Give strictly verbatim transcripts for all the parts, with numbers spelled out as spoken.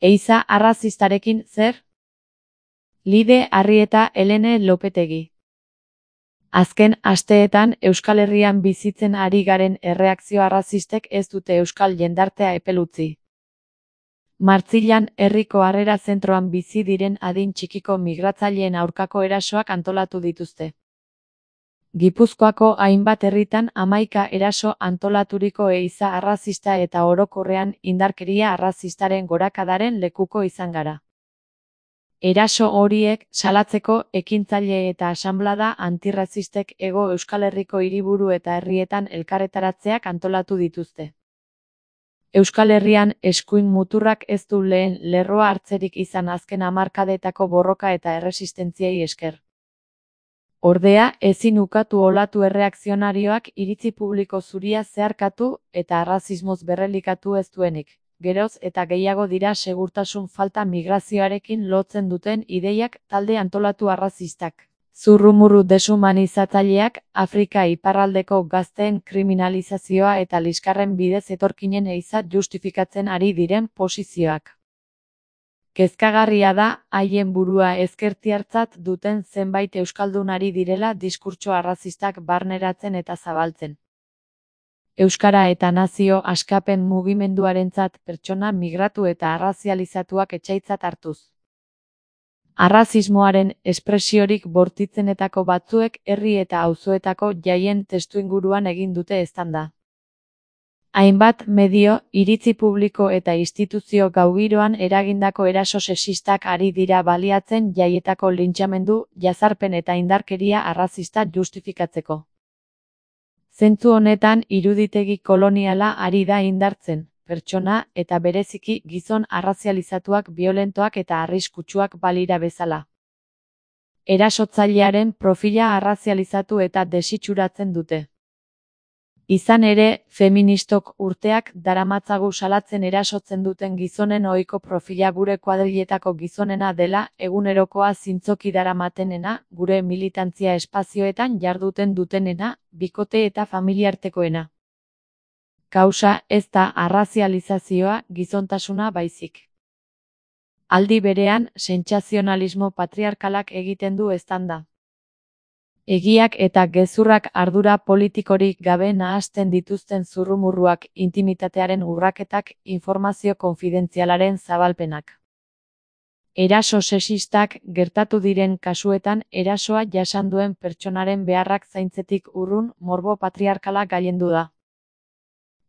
Ehiza arrazistarekin zer? Lide Arrieta Helene Lopetegi. Azken asteetan Euskal Herrian bizitzen ari garen erreakzio arrazistek ez dute euskal jendartea epel utzi. Martzilan herriko harrera zentroan bizi diren adin txikiko migratzaileen aurkako erasoak antolatu dituzte. Gipuzkoako hainbat herritan hamaika eraso antolaturiko ehiza arrazista eta orokorrean indarkeria arrazistaren gorakadaren lekuko izan gara. Eraso horiek salatzeko ekintzaile eta asanblada antirrazistek Hego Euskal Herriko hiriburu eta herrietan elkarretaratzeak antolatu dituzte. Euskal Herrian eskuin muturrak ez du lehen lerroa hartzerik izan azken hamarkadetako borroka eta erresistentziei esker. Ordea, ezin ukatu olatu erreakzionarioak iritzi publiko zuria zeharkatu eta arrazismoz berrelikatu ez duenik. Geroz eta gehiago dira segurtasun falta migrazioarekin lotzen duten ideiak talde antolatu arrazistak. Zurrumurru deshumanizatzaileak, Afrika iparraldeko gazteen kriminalizazioa eta liskarren bidez etorkinen ehiza justifikatzen ari diren posizioak. Kezkagarria da, haien burua ezkertiartzat duten zenbait euskaldun ari direla diskurtso arrazistak barneratzen eta zabaltzen. Euskara eta nazio askapen mugimenduarentzat pertsona migratu eta arrazializatuak etsaitzat hartuz. Arrazismoaren espresiorik bortitzenetako batzuek herri eta auzoetako jaien testuinguruan egin dute eztanda. Hainbat medio, iritzi publiko eta instituzio gaugiroan eragindako eraso sexistak ari dira baliatzen jaietako lintxamendu, jazarpen eta indarkeria arrazista justifikatzeko. Zentzu honetan iruditegi koloniala ari da indartzen, pertsona eta bereziki gizon arrazializatuak biolentoak eta arriskutsuak balira bezala. Erasotzailearen profila arrazializatu eta desitxuratzen dute. Izan ere, feministok urteak daramatzagu salatzen erasotzen duten gizonen ohiko profila gure kuadriletako gizonena dela, egunerokoa zintzoki daramatenena, gure militantzia espazioetan jarduten dutenena, bikote eta familiartekoena. Kausa ez da arrazializazioa, gizontasuna baizik. Aldi berean, sentsazionalismo patriarkalak egiten du eztanda. Egiak eta gezurrak ardura politikorik gabe nahasten dituzten zurrumurruak, intimitatearen urraketak, informazio konfidentzialaren zabalpenak. Eraso sexistak gertatu diren kasuetan erasoa jasan duen pertsonaren beharrak zaintzetik urrun morbo patriarkala gailendu da.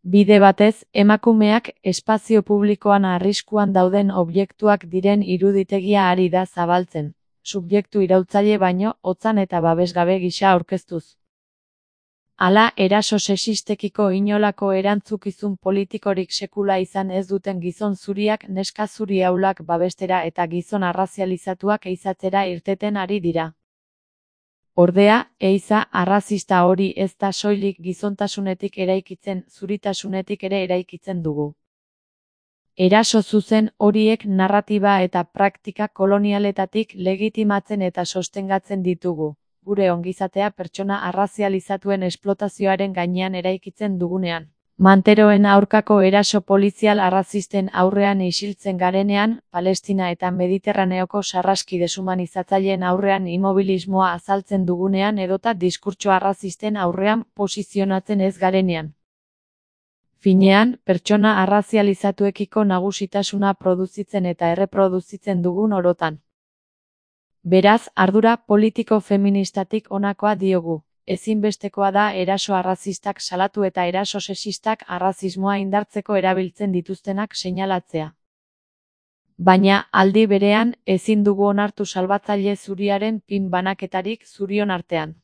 Bide batez, emakumeak espazio publikoan arriskuan dauden objektuak diren iruditegia ari da zabaltzen. Subjektu iraultzaile baino, hotzan eta babesgabe gisa aurkeztuz. Hala, eraso sexistekiko inolako erantzukizun politikorik sekula izan ez duten gizon zuriak neska zuri aulak babestera eta gizon arrazializatuak ehizatzera irteten ari dira. Ordea, ehiza arrazista hori ez da soilik gizontasunetik eraikitzen, zuritasunetik ere eraikitzen dugu. Eraso zuzen horiek narratiba eta praktika kolonialetatik legitimatzen eta sostengatzen ditugu, gure ongizatea pertsona arrazializatuen esplotazioaren gainean eraikitzen dugunean. Manteroen aurkako eraso polizial arrazisten aurrean isiltzen garenean, Palestina eta Mediterraneoko sarraski deshumanizatzaileen aurrean immobilismoa azaltzen dugunean edota diskurtso arrazisten aurrean posizionatzen ez garenean. Finean, pertsona arrazializatuekiko nagusitasuna produzitzen eta erreproduzitzen dugun orotan. Beraz, ardura politiko feministatik honakoa diogu. Ezinbestekoa da eraso arrazistak salatu eta eraso sexistak arrazismoa indartzeko erabiltzen dituztenak seinalatzea. Baina, aldi berean, ezin dugu onartu salbatzaile zuriaren pin banaketarik zurion artean.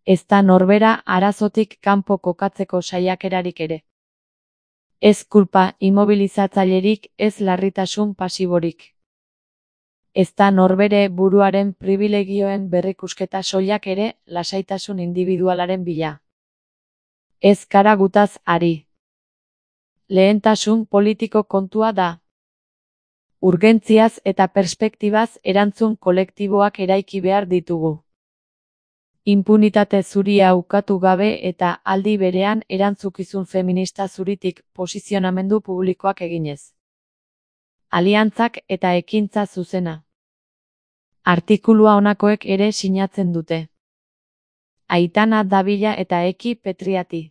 Ez da norbera arazotik kanpo kokatzeko saiakerarik ere. Ez kulpa immobilizatzailerik, ez larritasun pasiborik. Ez da norbere buruaren pribilegioen berrikusketa soilak ere, lasaitasun individualaren bila. Ez kara gutaz ari. Lehentasun politiko kontua da. Urgentziaz eta perspektibaz erantzun kolektiboak eraiki behar ditugu. Inpunitate zuria ukatu gabe eta aldi berean erantzukizun feminista zuritik posizionamendu publikoak eginez. aliantzak eta ekintza zuzena. Artikulua honakoek ere sinatzen dute. Aitana Davila eta Eki Petriati.